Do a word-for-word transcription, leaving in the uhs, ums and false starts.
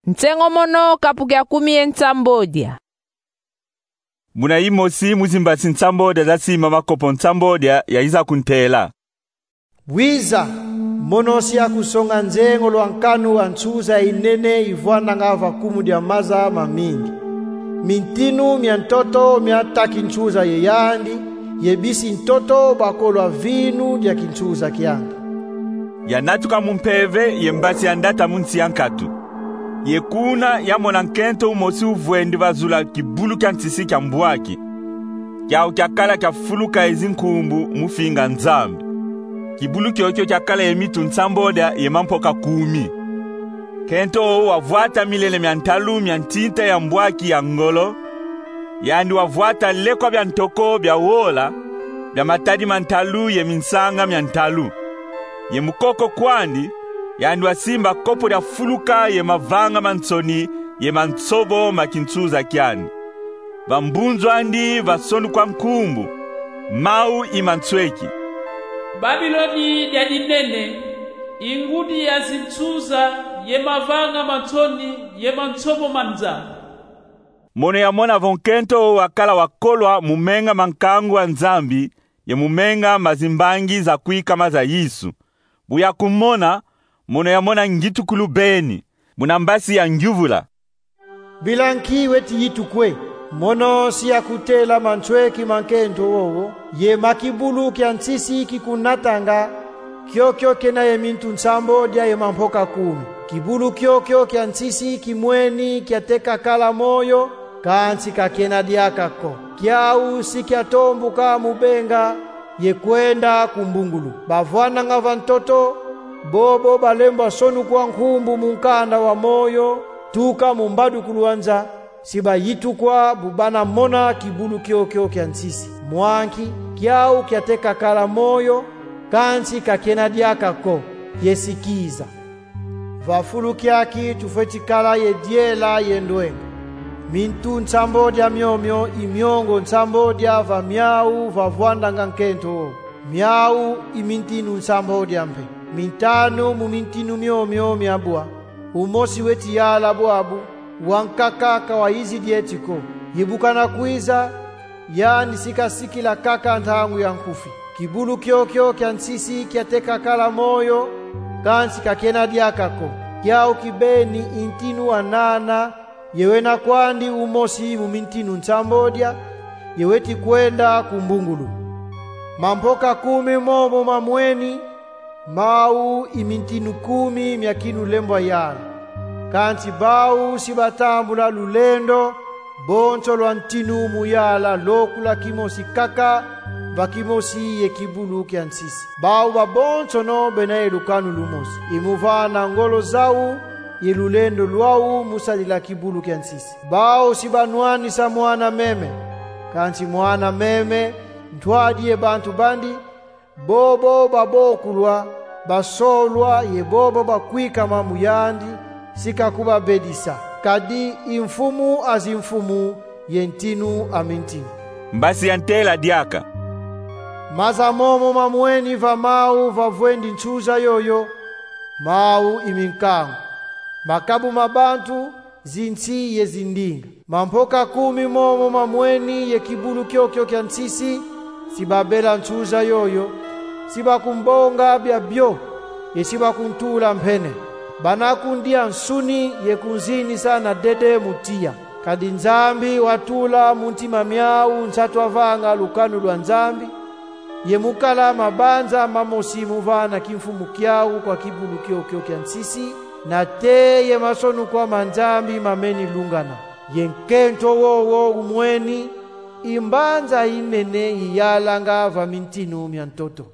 Nsengo mono, kapu kia kumi ye nsambodia. Muna imosi mu zimbasi nsambodia za simba makopo nsambodia yayiza kuntela: Wiza, mono si akusonga nzengolo a nkanu a nsuza inene ivwandanga va kumu dia maza mamingi. Mintinu mia ntoto miataki nsuza ye yandi, ye bisi ntoto bakolwa vinu dia kinsuza kiandi. Yanatuka mu mpeve ye mbasi yandata mu nsi ya nkatu. Ye kuna yamona nkento umosi uvwendi va zula kibulu kia nsisi kia mbwaki. Kiau kiakala kia fuluka ye zinkumbu mu finga Nzambi. Kibulu kiokio kiakala ye mintu nsambodia ye mampoka kumi. Nkento wowo wavwata milele mia ntalu mia ntinta ya mbwaki ya ngolo. Yandi wavwata lekwa bia ntoko bia wola, bia matadi ma ntalu ye minsanga mia ntalu. Ye mu koko kwandi, yandi wasimba kopo dia fuluka ye mavanga ma nsoni ye ma nsobo ma kinsuza kiandi. Va mbunzu andi vasonukwa nkumbu: Mau i mansweki. Babiloni dia dinene, i ngudi ya zinsuza ye mavanga ma nsoni ye ma nsobo ma Nzambi. Mono yamona vo nkento wakala wakolwa mu menga ma nkangu a Nzambi ye mu menga ma zimbangi za kwikama za Yesu. Bu yakumona, mono yamona ngitukulu beni. Muna mbasi yangyuvula: Bila nki weti yitukwe? Mono si akutela mansweki ma nkento wowo, ye ma kibulu kia nsisi kikunatanga, kiokio kena ye mintu nsambodia ye mampoka kumi. Kibulu kiokio kia nsisi kimweni kiateka kala moyo, kansi ka kena diaka ko. Kiau si kiatombuka mu benga ye kwenda ku mbungulu. Bavwandanga va ntoto, bobo balembwa sonukwa nkumbu mu nkanda wa moyo, tuka mu mbadukulu a nza, si bayitukwa bu bana mona kibulu kiokio kia nsisi. Mwa nki? Kiau kiateka kala moyo, kansi ka kena diaka ko, ye si kiza. Va fulu kiaki tufweti kala ye diela ye ndwenga. Mintu nsambodia miomio i miongo nsambodia va miau vavwandanga nkento. Miau i mintinu nsambodia mpe. Mintanu mu mintinu miomio miabwa. Umosi weti yala bwabu, wankaka ka wayizidi eti ko. Ye bu kana kwiza, yandi si kasikila kaka ntangu ya nkufi. Kibulu kiokio kia nsisi kiateka kala moyo, kansi ka kena diaka ko. Kiau kibeni i ntinu wa nana, ye wena kwandi umosi mu mintinu nsambodia, ye weti kwenda ku mbungulu. Mampoka kumi momo mamweni, mau i mintinu kumi mia kinulembwa yala. Kansi bau si batambula lulendo, bonso lwa ntinu mu yala lokula kimosi kaka, va kimosi ye kibulu kia nsisi. Bau babonsono bena ye lukanu lumosi, i mu vana ngolo zau ye lulendo lwau mu sadila kibulu kia nsisi. Bau si banwanisa mwana meme, kansi mwana meme, ntwadi ye bantu bandi, bobo babokulwa, basolwa ye bobo bakwikama mu yandi, si kakubabedisa. Kadi i Mfumu a zimfumu ye Ntinu a mintinu. Mbasi yantela diaka: Maza momo mamweni va mau vavwendi nsuza yoyo, mau i minkangu, makabu ma bantu, zinsi ye zindinga. Mampoka kumi momo mamweni ye kibulu kiokio kia nsisi, si babela nsuza yoyo, si bakumbonga biabio, ye si bakuntula mpene. Bana kundia nsuni ye kunzinisa na dede mu tiya. Kadi Nzambi watula mu ntima miau nsatu a vanga lukanu lwa Nzambi, ye mu kala mabanza mamosi mu vana kimfumu kiau kwa kibulu kiokio kia nsisi, nate ye masonukwa ma Nzambi mameni lungana. Ye nkento wowo umweni, i mbanza inene iyalanga va mintinu mia ntoto.